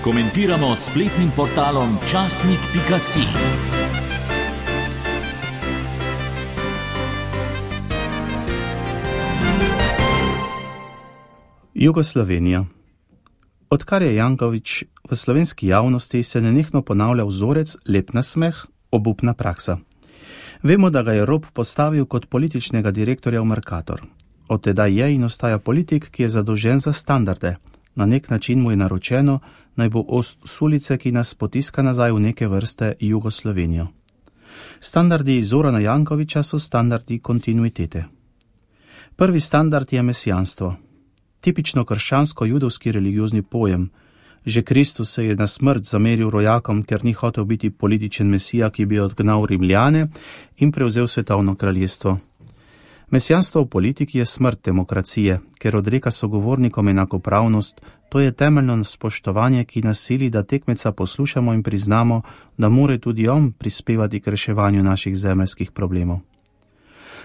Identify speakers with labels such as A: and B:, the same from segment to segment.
A: komentiramo s spletnim portalom časnik.si.
B: Jugoslovenija. Odkar je Janković v slovenski javnosti, se nenehno ponavlja vzorec lep nasmeh, obupna praksa. Vemo, da ga je Rop postavil kot političnega direktorja v Mercator. Od tedaj je in ostaja politik, ki je zadolžen za standarde. Na nek način mu je naročeno, naj bo ost sulice, ki nas potiska nazaj v neke vrste Jugoslovenijo. Standardi Zorana Jankovića so standardi kontinuitete. Prvi standard je mesijanstvo. Tipično krščansko-judovski religiozni pojem. Že Kristus se je na smrt zameril rojakom, ker ni hotel biti političen mesija, ki bi odgnal Rimljane in prevzel svetovno kraljestvo. Mesijanstvo v politiki je smrt demokracije, ker odreka sogovornikom enakopravnost. To je temeljno spoštovanje, ki nas sili, da tekmeca poslušamo in priznamo, da mora tudi on prispevati k reševanju naših zemeljskih problemov.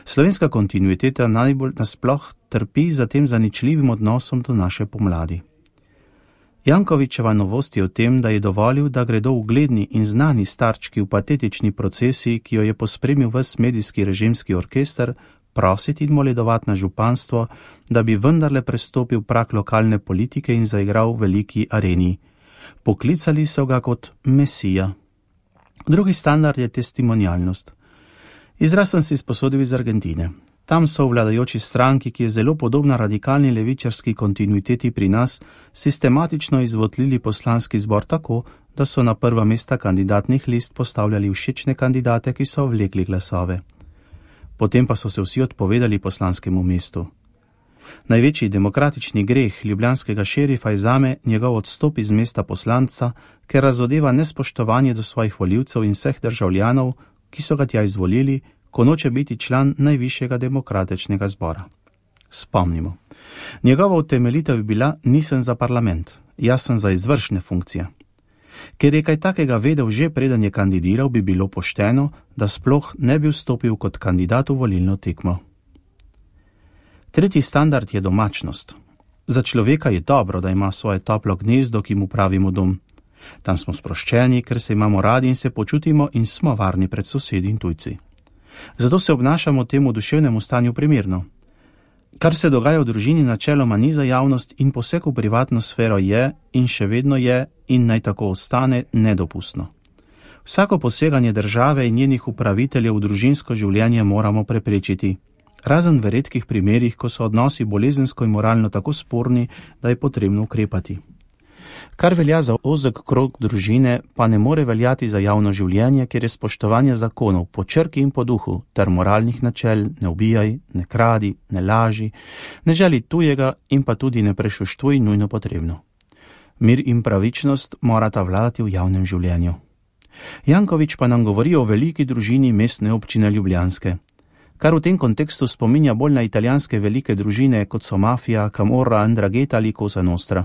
B: Slovenska kontinuiteta najbolj nasploh trpi za tem zaničljivim odnosom do naše pomladi. Jankovićeva novost je v tem, da je dovolil, da gredo ugledni in znani starčki v patetični procesi, ki jo je pospremil ves medijski režimski orkester, prositi in moledovati na županstvo, da bi vendarle prestopil prag lokalne politike in zaigral v veliki areni. Poklicali so ga kot mesija. Drugi standard je testimonialnost. Izraz sem si sposodil iz Argentine. Tam so v vladajoči stranki, ki je zelo podobna radikalni levičarski kontinuiteti pri nas, sistematično izvotlili poslanski zbor tako, da so na prva mesta kandidatnih list postavljali všečne kandidate, ki so vlekli glasove. Potem pa so se vsi odpovedali poslanskemu mestu. Največji demokratični greh ljubljanskega šerifa je zame njegov odstop iz mesta poslanca, ker razodeva nespoštovanje do svojih volivcev in vseh državljanov, ki so ga tja izvolili, ko noče biti član najvišjega demokratičnega zbora. Spomnimo. Njegova utemeljitev bi bila: nisem za parlament, jaz sem za izvršne funkcije. Ker je kaj takega vedel že preden je kandidiral, bi bilo pošteno, da sploh ne bi vstopil kot kandidat v volilno tekmo. Tretji standard je domačnost. Za človeka je dobro, da ima svoje toplo gnezdo, ki mu pravimo dom. Tam smo sproščeni, ker se imamo radi in se počutimo in smo varni pred sosedi in tujci. Zato se obnašamo temu duševnemu stanju primerno. Kar se dogaja v družini, načeloma ni za javnost in poseg v privatno sfero je in še vedno je in naj tako ostane nedopustno. Vsako poseganje države in njenih upraviteljev v družinsko življenje moramo preprečiti. Razen v redkih primerih, ko so odnosi bolezensko in moralno tako sporni, da je potrebno ukrepati. Kar velja za ozek krog družine, pa ne more veljati za javno življenje, kjer je spoštovanje zakonov po črki in po duhu ter moralnih načel: ne ubijaj, ne kradi, ne laži, ne želi tujega in pa tudi ne prešuštvuj nujno potrebno. Mir in pravičnost morata vladati v javnem življenju. Janković pa nam govori o veliki družini mestne občine ljubljanske, kar v tem kontekstu spominja bolj na italijanske velike družine, kot so Mafia, Camorra, 'Ndrangheta ali Cosa Nostra.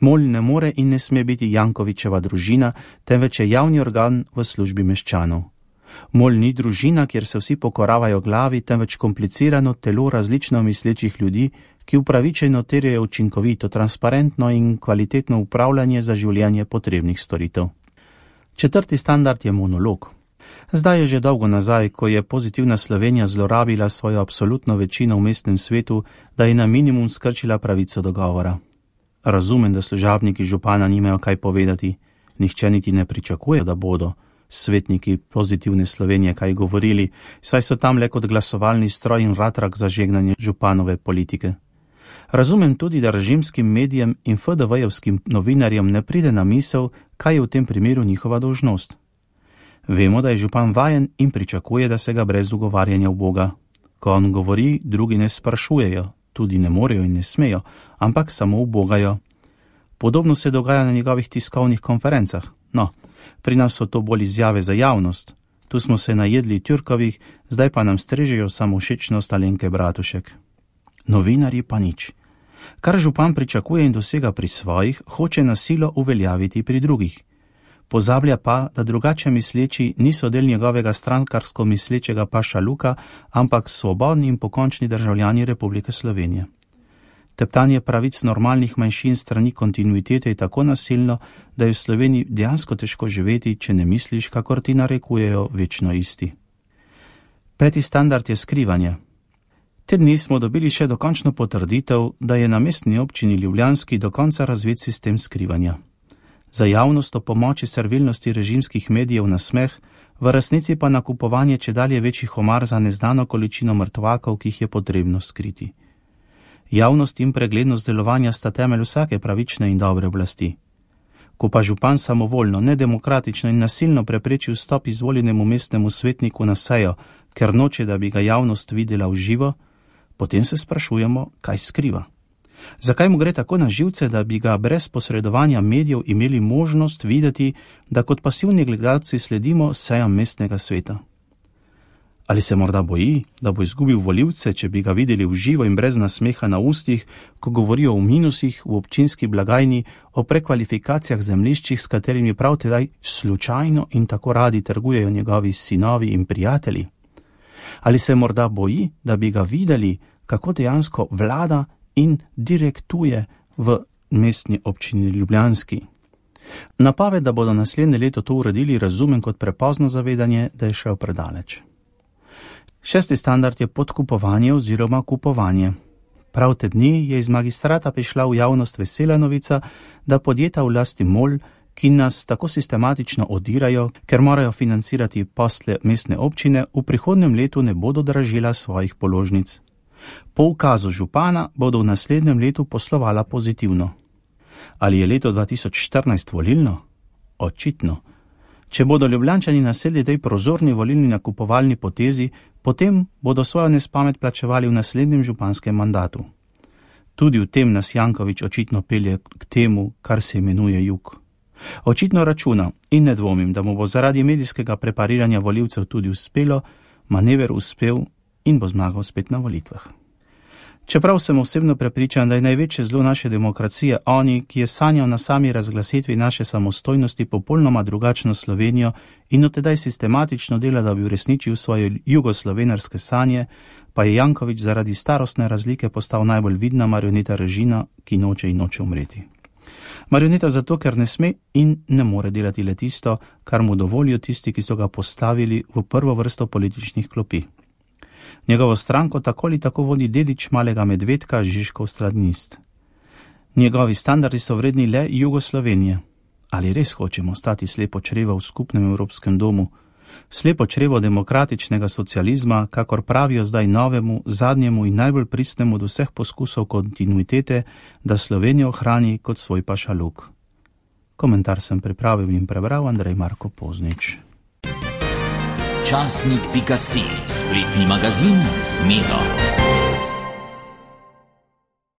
B: MOL ne more in ne sme biti Jankovićeva družina, temveč je javni organ v službi meščanov. MOL ni družina, kjer se vsi pokoravajo glavi, temveč komplicirano telo različno mislečih ljudi, ki upravičeno terjajo učinkovito, transparentno in kvalitetno upravljanje za življenje potrebnih storitev. Četrti standard je monolog. Zdaj je že dolgo nazaj, ko je pozitivna Slovenija zlorabila svojo absolutno večino v mestnem svetu, da je na minimum skrčila pravico do govora. Razumem, da služabniki župana nimajo kaj povedati, nihče niti ne pričakuje, da bodo svetniki pozitivne Slovenije kaj govorili, saj so tam le kot glasovalni stroj in ratrak za žegnanje županove politike. Razumem tudi, da režimskim medijem in FDV-jevskim novinarjem ne pride na misel, kaj je v tem primeru njihova dolžnost. Vemo, da je župan vajen in pričakuje, da se ga brez ugovarjanja v Boga. Ko on govori, drugi ne sprašujejo, tudi ne morejo in ne smejo, ampak samo ubogajo. Podobno se dogaja na njegovih tiskovnih konferencah. No, pri nas so to bolj izjave za javnost. Tu smo se najedli Tjurkovih, zdaj pa nam strežejo samovšečnost Alenke Bratušek. Novinarji pa nič. Kar župan pričakuje in dosega pri svojih, hoče na silo uveljaviti pri drugih. Pozablja pa, da drugače misleči niso del njegovega strankarsko mislečega paša Luka, ampak svobodni in pokončni državljani Republike Slovenije. Teptanje pravic normalnih manjšin strani kontinuitete je tako nasilno, da je v Sloveniji dejansko težko živeti, če ne misliš, kakor ti narekujejo večno isti. 5. standard je skrivanje. Te dni smo dobili še dokončno potrditev, da je na mestni občini Ljubljanski do konca razvit sistem skrivanja. Za javnost o pomoči servilnosti režimskih medijev na smeh, v resnici pa nakupovanje čedalje večjih omar za neznano količino mrtvakov, ki jih je potrebno skriti. Javnost in preglednost delovanja sta temelj vsake pravične in dobre oblasti. Ko pa župan samovoljno, nedemokratično in nasilno prepreči vstop izvoljenemu mestnemu svetniku na sejo, ker noče, da bi ga javnost videla v živo, potem se sprašujemo, kaj skriva. Zakaj mu gre tako na živce, da bi ga brez posredovanja medijev imeli možnost videti, da kot pasivni gledalci sledimo sejam mestnega sveta? Ali se morda boji, da bo izgubil volivce, če bi ga videli v živo in brez nasmeha na ustih, ko govorijo o minusih v občinski blagajni, o prekvalifikacijah zemljiščih, s katerimi prav tedaj slučajno in tako radi trgujejo njegovi sinovi in prijatelji? Ali se morda boji, da bi ga videli, kako dejansko vlada in direktuje v mestni občini Ljubljanski? Napoved, da bodo naslednje leto to uredili, razumem kot prepozno zavedanje, da je šel predaleč. 6. standard je podkupovanje oziroma kupovanje. Prav te dni je iz magistrata prišla v javnost vesela novica, da podjetja v lasti MOL, ki nas tako sistematično odirajo, ker morajo financirati posle mestne občine, v prihodnjem letu ne bodo dražila svojih položnic. Po ukazu župana bodo v naslednjem letu poslovala pozitivno. Ali je leto 2014 volilno? Očitno. Če bodo Ljubljančani nasedli tej prozorni volilni nakupovalni potezi, potem bodo svojo nespamet plačevali v naslednjem županskem mandatu. Tudi v tem nas Janković očitno pelje k temu, kar se imenuje jug. Očitno računa in ne dvomim, da mu bo zaradi medijskega prepariranja volivcev tudi uspelo, manever uspel in bo zmagal spet na volitvah. Čeprav sem osebno prepričan, da je največje zlo naše demokracije oni, ki je sanjal na sami razglasitvi naše samostojnosti popolnoma drugačno Slovenijo in od tedaj sistematično dela, da bi uresničil svoje jugoslovenarske sanje, pa je Janković zaradi starostne razlike postal najbolj vidna marioneta režima, ki noče in noče umreti. Marioneta zato, ker ne sme in ne more delati le tisto, kar mu dovolijo tisti, ki so ga postavili v prvo vrsto političnih klopi. Njegovo stranko tako ali tako vodi dedič malega medvedka Žižkov stradnist. Njegovi standardi so vredni le Jugoslovenije. Ali res hočemo stati slepo črevo v skupnem evropskem domu, slepo črevo demokratičnega socializma, kakor pravijo zdaj novemu, zadnjemu in najbolj pristnemu od vseh poskusov kontinuitete, da Slovenijo ohrani kot svoj pašaluk? Komentar sem pripravil in prebral Andrej Marko Poznič.
A: Časnik.si, spletni magazin z Miro.